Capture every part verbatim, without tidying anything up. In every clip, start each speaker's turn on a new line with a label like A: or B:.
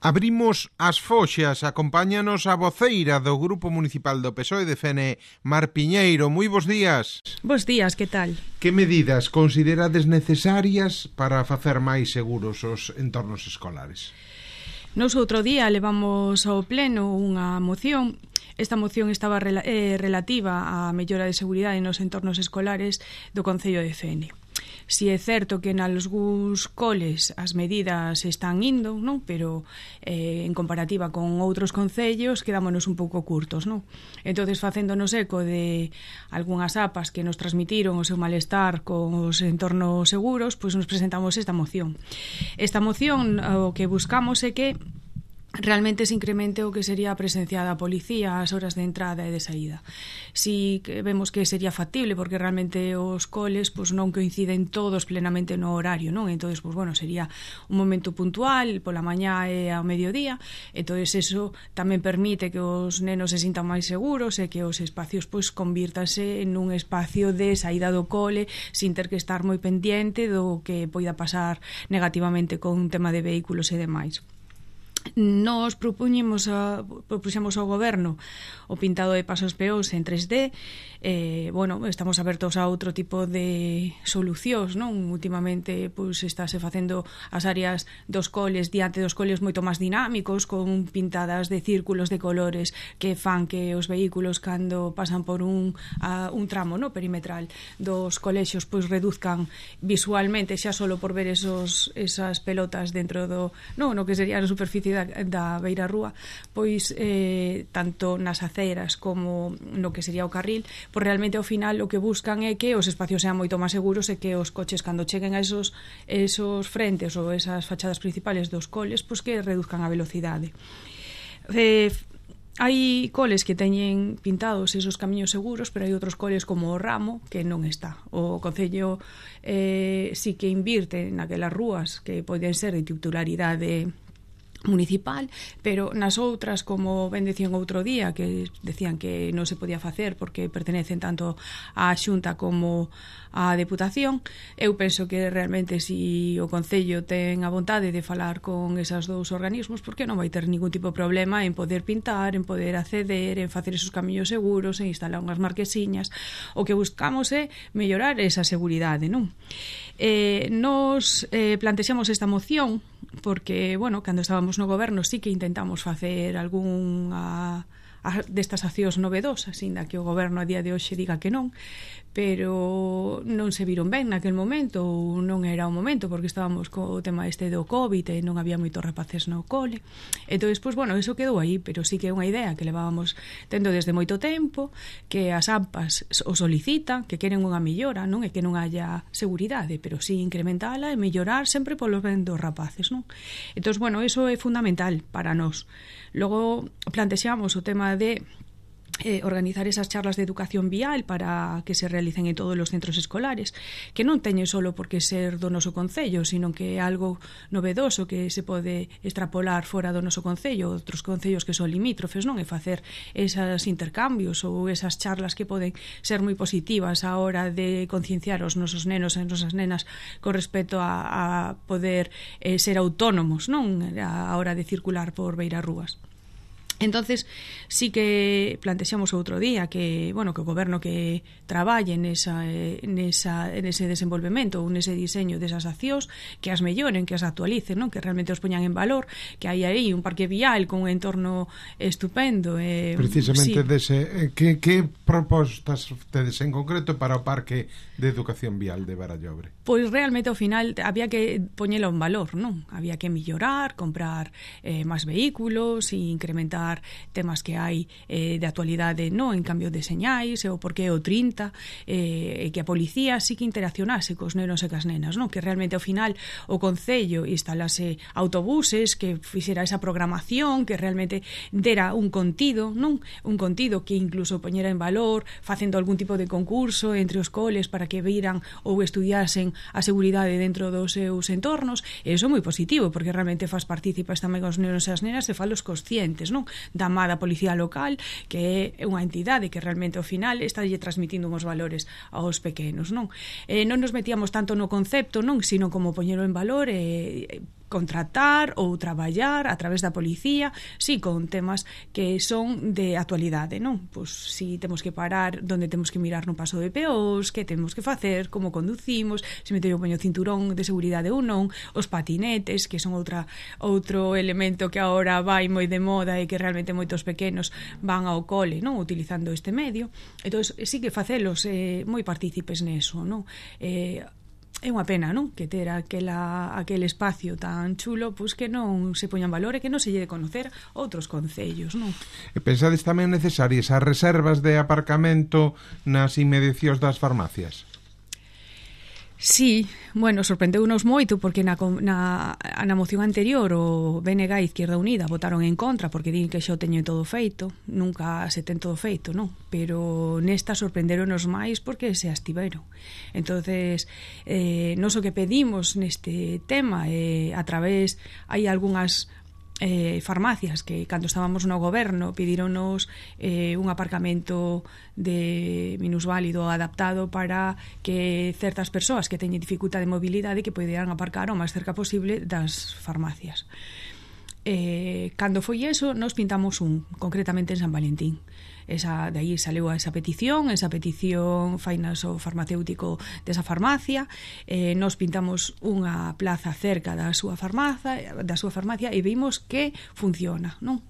A: Abrimos as foxas, acompáñanos a voceira do Grupo Municipal do P S O E de Fene, Mar Piñeiro. Moi bos días.
B: Bos días, que tal?
A: Que medidas considerades necesarias para facer máis seguros os entornos escolares?
B: Nos outro día levamos ao pleno unha moción. Esta moción estaba rela- eh, relativa á mellora de seguridade nos entornos escolares do Concello de Fene. Si é certo que nalgúns coles as medidas están indo, non? Pero eh, en comparativa con outros concellos quedámonos un pouco curtos, non? Entonces, facéndonos eco de algunhas apas que nos transmitiron o seu malestar con os entornos seguros, pois nos presentamos esta moción. Esta moción o que buscamos é que realmente se incremente o que sería a presencia da policía ás horas de entrada e de saída. Si que vemos que sería factible, porque realmente os coles pois, non coinciden todos plenamente no horario, non? Entonces, pois, bueno, sería un momento puntual, pola mañá e ao mediodía, entonces eso tamén permite que os nenos se sintan máis seguros e que os espacios pois convírtanse en un espacio de saída do cole sin ter que estar moi pendiente do que poida pasar negativamente con un tema de vehículos e demais. Nos propuñemos a, propuxemos ao goberno o pintado de pasos peós en tres D. Eh, bueno, estamos abertos a outro tipo de solucións, non? Últimamente pois estáse facendo as áreas dos coles diante dos coles moito máis dinámicos, con pintadas de círculos de colores que fan que os vehículos cando pasan por un, a, un tramo, no, perimetral dos colexios pois reduzcan visualmente xa solo por ver esos, esas pelotas dentro do, no, no que sería a superficie da, da beira rúa, pois eh, tanto nas aceras como no que sería o carril, pois realmente ao final o que buscan é que os espacios sean moito máis seguros e que os coches cando cheguen a esos, esos frentes ou esas fachadas principales dos coles, pois que reduzcan a velocidade. Eh, hai coles que teñen pintados esos camiños seguros, pero hai outros coles como o Ramo que non está. O Concello eh, sí que invirte naquelas rúas que poden ser de titularidade municipal, pero nas outras, como ben decían outro día, que decían que non se podía facer porque pertenecen tanto á Xunta como á Deputación, eu penso que realmente si o Concello ten a vontade de falar con esas dous organismos, porque non vai ter ningún tipo de problema en poder pintar, en poder acceder, en facer esos camiños seguros, en instalar unhas marquesiñas. O que buscamos é mellorar esa seguridade, non? Eh, nos eh, plantexamos esta moción porque, bueno, cando estábamos no goberno sí que intentamos facer algunha destas accións novedosas, ainda que o goberno a día de hoxe diga que non, pero non se viron ben naquel momento, ou non era o momento, porque estábamos co tema este do COVID e non había moitos rapaces no cole. Entón, pois, bueno, eso quedou aí, pero sí que é unha idea que levábamos tendo desde moito tempo, que as AMPAs o solicitan, que queren unha mellora, non é que non haya seguridade, pero sí incrementala e mellorar sempre polos ben dos rapaces, non? Entón, bueno, eso é fundamental para nós. Logo plantexamos o tema de Eh, organizar esas charlas de educación vial para que se realicen en todos os centros escolares, que non teñen solo por que ser do noso concello, sino que é algo novedoso que se pode extrapolar fora do noso concello, outros concellos que son limítrofes, non? E facer esos intercambios ou esas charlas que poden ser moi positivas á hora de concienciar os nosos nenos e as nosas nenas con respecto a, a poder eh, ser autónomos, non? A hora de circular por beirarrúas. Entonces, sí que plantexamos outro día que, bueno, que o goberno que traballe nesa, nesa, nese desenvolvemento ou nese diseño desas accións, que as melloren, que as actualicen, non? Que realmente os poñan en valor, que hai aí un parque vial con un entorno estupendo. Eh,
A: Precisamente
B: sí.
A: dese, que, que propostas tedes en concreto para o parque de educación vial de Barallobre?
B: Pois realmente ao final había que poñelo en valor, non? Había que mellorar, comprar eh, máis vehículos e incrementar temas que hai eh, de actualidade, no, en cambio de señais e o porqué o trinta, eh, e que a policía sí que interaccionase cos nenos e cas nenas, non? Que realmente ao final o Concello instalase autobuses, que fixera esa programación, que realmente dera un contido, non? Un contido que incluso poñera en valor, facendo algún tipo de concurso entre os coles para que viran ou estudiasen a seguridade dentro dos seus entornos, e iso é moi positivo, porque realmente faz partícipas tamén os nenos e as nenas e falos conscientes, non? Da amada policía local, que é unha entidade que realmente ao final está lle transmitindo uns valores aos pequenos, non? Eh, non nos metíamos tanto no concepto, non, sino como poñelo en valor e contratar ou traballar a través da policía, sí, con temas que son de actualidade, non? Pois si temos que parar, donde temos que mirar no paso de peóns, que temos que facer, como conducimos, se me teño poño cinturón de seguridade ou non, os patinetes, que son outra outro elemento que agora vai moi de moda e que realmente moitos pequenos van ao cole, non? Utilizando este medio. Entón, sí que facelos eh, moi partícipes neso, non? Eh, É unha pena, non? Que ter aquela, aquel espacio tan chulo, pois que non se poñan valor e que non se lle de conocer outros concellos, non?
A: E pensades tamén necesarias as reservas de aparcamento nas inmediacións das farmacias?
B: Sí, bueno, sorprendeu-nos moito porque na, na, na moción anterior o B N G e Izquierda Unida votaron en contra porque din que xa o teñen todo feito, nunca se ten todo feito, non? Pero nesta sorprenderonos máis porque se astiveron. Entonces, eh, nos o que pedimos neste tema, eh, a través, hai algunhas eh, farmacias que cando estábamos no goberno pedironos eh, un aparcamento de minusválido adaptado para que certas persoas que teñen dificultade de mobilidade que poderan aparcar o máis cerca posible das farmacias. Eh, cando foi eso, nos pintamos un, concretamente en San Valentín. Esa, de aí saleu esa petición, esa petición fainas o farmacéutico desa farmacia, eh, nos pintamos unha plaza cerca da súa farmacia, da súa farmacia e vimos que funciona, non?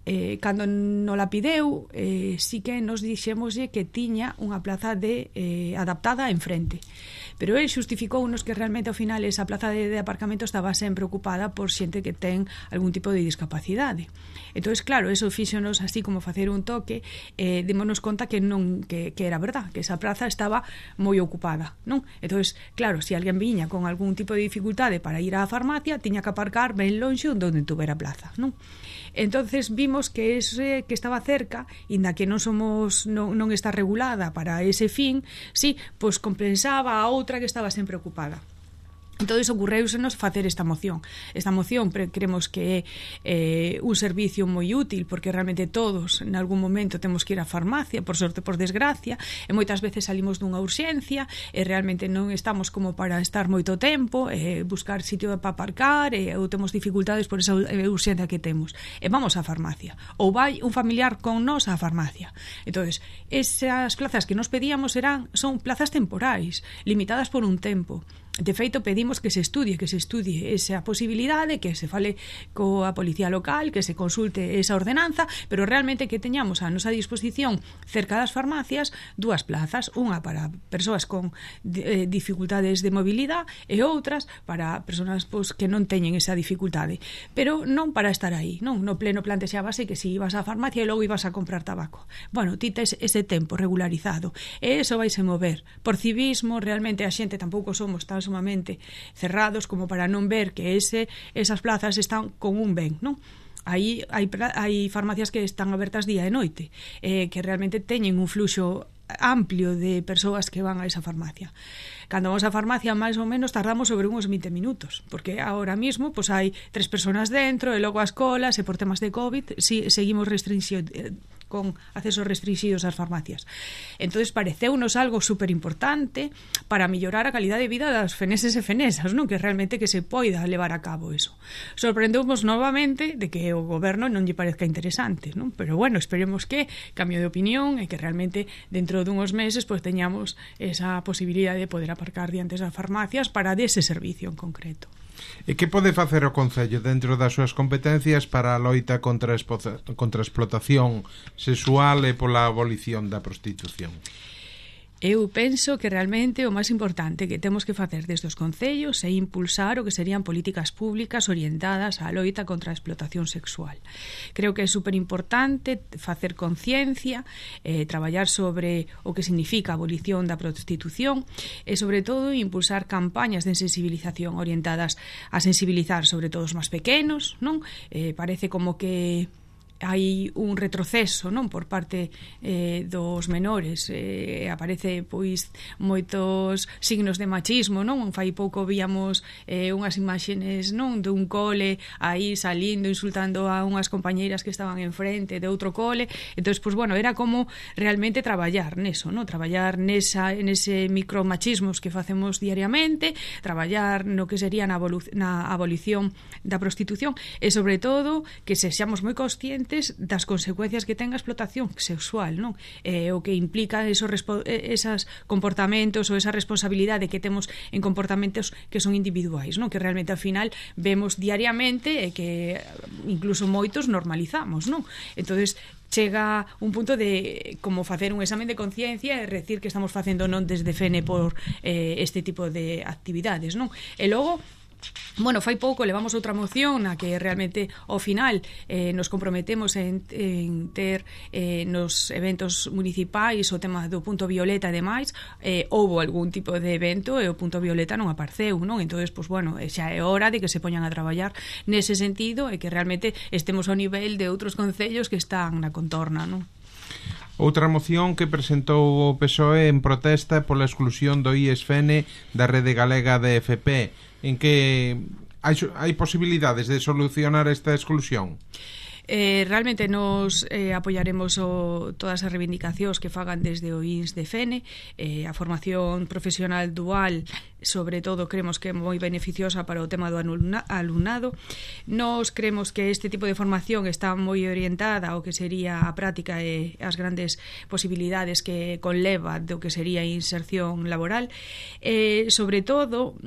B: Eh, cando non la pideu, eh, sí que nos dixémoslle que tiña unha plaza de eh, adaptada enfrente. Pero el xustificounos que realmente ao final esa plaza de, de aparcamento estaba sempre ocupada por xente que ten algún tipo de discapacidade. Entón, claro, eso fíxonos así como facer un toque, eh, démonos conta que non que, que era verdad, que esa plaza estaba moi ocupada, non? Entón, claro, se alguén viña con algún tipo de dificultade para ir á farmacia, tiña que aparcar ben lonxe onde tuvera plaza, non? Entonces vimos que ese que estaba cerca, inda que non somos non, non está regulada para ese fin, sí, pois compensaba a outra que estaba sempre ocupada. Entón, ocurreusenos facer esta moción. Esta moción creemos que é eh, un servicio moi útil porque realmente todos en algún momento temos que ir á farmacia, por sorte, por desgracia, e moitas veces salimos dunha urxencia e realmente non estamos como para estar moito tempo, eh, buscar sitio para aparcar e, ou temos dificultades por esa urxencia que temos. E vamos á farmacia. Ou vai un familiar con nós á farmacia. Entón, esas plazas que nos pedíamos eran, son plazas temporais, limitadas por un tempo. De feito, pedimos que se estudie, que se estudie esa posibilidade, que se fale coa policía local, que se consulte esa ordenanza, pero realmente que teñamos a nosa disposición cerca das farmacias dúas plazas, unha para persoas con eh, dificultades de mobilidade e outras para persoas pois, que non teñen esa dificultade, pero non para estar aí, non? No pleno plantexábase que si ibas á farmacia e logo ibas a comprar tabaco. Bueno, ti tes ese tempo regularizado e eso vaise mover. Por civismo, realmente a xente tampouco somos tan sumamente cerrados como para non ver que ese, esas plazas están con un ben, non? Aí hai, hai farmacias que están abertas día e noite, eh, que realmente teñen un fluxo amplio de persoas que van a esa farmacia. Cando vamos á farmacia, máis ou menos tardamos sobre uns vinte minutos, porque ahora mismo pois, hai tres persoas dentro e logo as colas e por temas de COVID si, seguimos restricción eh, con accesos restringidos ás farmacias. Entonces pareceunos algo super importante para mellorar a calidade de vida das feneses e fenesas, non? Que realmente que se poida levar a cabo eso. Sorprendemos novamente de que o goberno non lle parezca interesante, non? Pero bueno, esperemos que cambio de opinión e que realmente dentro dunhos meses pues, teñamos esa posibilidade de poder aparcar diante das farmacias para dese servicio en concreto.
A: E que pode facer o Concello dentro das súas competencias para a loita contra a, contra a explotación sexual e pola abolición da prostitución?
B: Eu penso que realmente o máis importante que temos que facer desde os concellos é impulsar o que serían políticas públicas orientadas á loita contra a explotación sexual. Creo que é superimportante facer conciencia, eh, traballar sobre o que significa a abolición da prostitución e, sobre todo, impulsar campañas de sensibilización orientadas a sensibilizar sobre todo os máis pequenos, non? Eh, parece como que hai un retroceso, non, por parte eh, dos menores, eh, aparece pois moitos signos de machismo, non? Fai pouco víamos eh, unhas imaxes, non, dun cole aí salindo, insultando a unhas compañeiras que estaban enfrente de outro cole. Entonces, pois bueno, era como realmente traballar neso, non? Traballar nesa, nese micromachismos que facemos diariamente, traballar no que sería na, na abolición da prostitución e, sobre todo, que sexamos moi conscientes das consecuencias que ten a explotación sexual, non? Eh, o que implica esos, esas comportamentos ou esa responsabilidade que temos en comportamentos que son individuais, non? Que realmente ao final vemos diariamente e que incluso moitos normalizamos, non? Entonces chega un punto de como facer un examen de conciencia e decir que estamos facendo non desde F N por eh, este tipo de actividades, non? E logo, bueno, fai pouco levamos outra moción na que realmente ao final eh, nos comprometemos en, en ter eh, nos eventos municipais o tema do punto violeta e demais, eh, houbo algún tipo de evento e o punto violeta non apareceu, non? Entonces, pois bueno, xa é hora de que se poñan a traballar nese sentido e que realmente estemos ao nivel de outros concellos que están na contorna, non?
A: Outra moción que presentou o P S O E en protesta pola exclusión do I E S F N da Rede Galega de F P, en que hai, hai posibilidades de solucionar esta exclusión?
B: Eh, realmente nos eh, apoyaremos o, todas as reivindicacións que fagan desde o I N S de F N. eh, a formación profesional dual, sobre todo, creemos que é moi beneficiosa para o tema do alumnado. Nos creemos que este tipo de formación está moi orientada ao que sería a práctica e as grandes posibilidades que conleva do que sería a inserción laboral, eh, sobre todo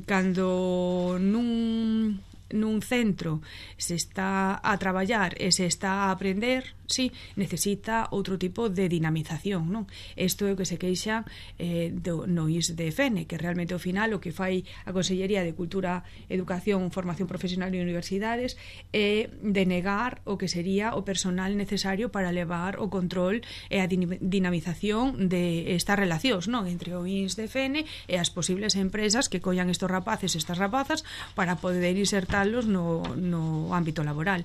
B: cando nun nun centro se está a traballar e se está a aprender, sí, necesita outro tipo de dinamización, non? Isto é o que se queixa eh, do, no I S de F N, que realmente ao final o que fai a Consellería de Cultura, Educación, Formación Profesional e Universidades é denegar o que sería o personal necesario para levar o control e a dinamización de estas relacións, non? Entre o I S de F N e as posibles empresas que collan estos rapaces e estas rapazas para poder insertarlos no, no ámbito laboral.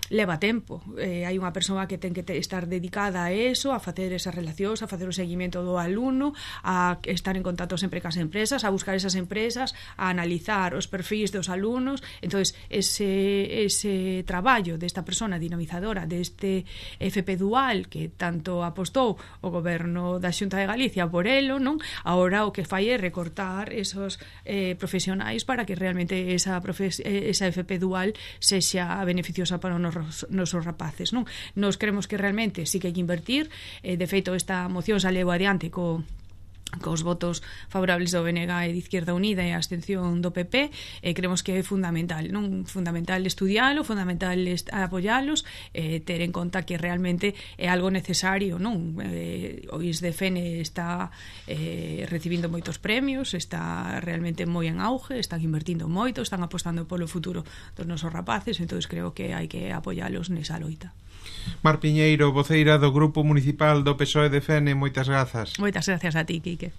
B: Leva tempo, eh, hai unha persoa que ten que te, estar dedicada a eso, a facer esas relacións, a facer o seguimento do alumno, a estar en contacto sempre cas empresas, a buscar esas empresas, a analizar os perfis dos alumnos. Entonces ese, ese traballo desta persona dinamizadora deste F P dual que tanto apostou o goberno da Xunta de Galicia por elo, non? Agora o que fai é recortar esos eh, profesionais para que realmente esa, profes, esa F P dual sexa beneficiosa para o nos nosos rapaces, non? Nos creemos que realmente sí que hai que invertir. Eh, de feito, esta moción saleu adiante co cos votos favorables do B N G e de Izquierda Unida e a abstención do P P. eh, creemos que é fundamental, non? Fundamental estudialo, fundamental apoialos, eh, ter en conta que realmente é algo necesario, non? Eh, o I S de F N está eh, recibindo moitos premios, está realmente moi en auge, están invertindo moito, están apostando polo futuro dos nosos rapaces, entonces creo que hai que apoialos nesa loita.
A: Mar Piñeiro, voceira do Grupo Municipal do P S O E de F N, moitas grazas.
B: Moitas gracias a ti, Quique.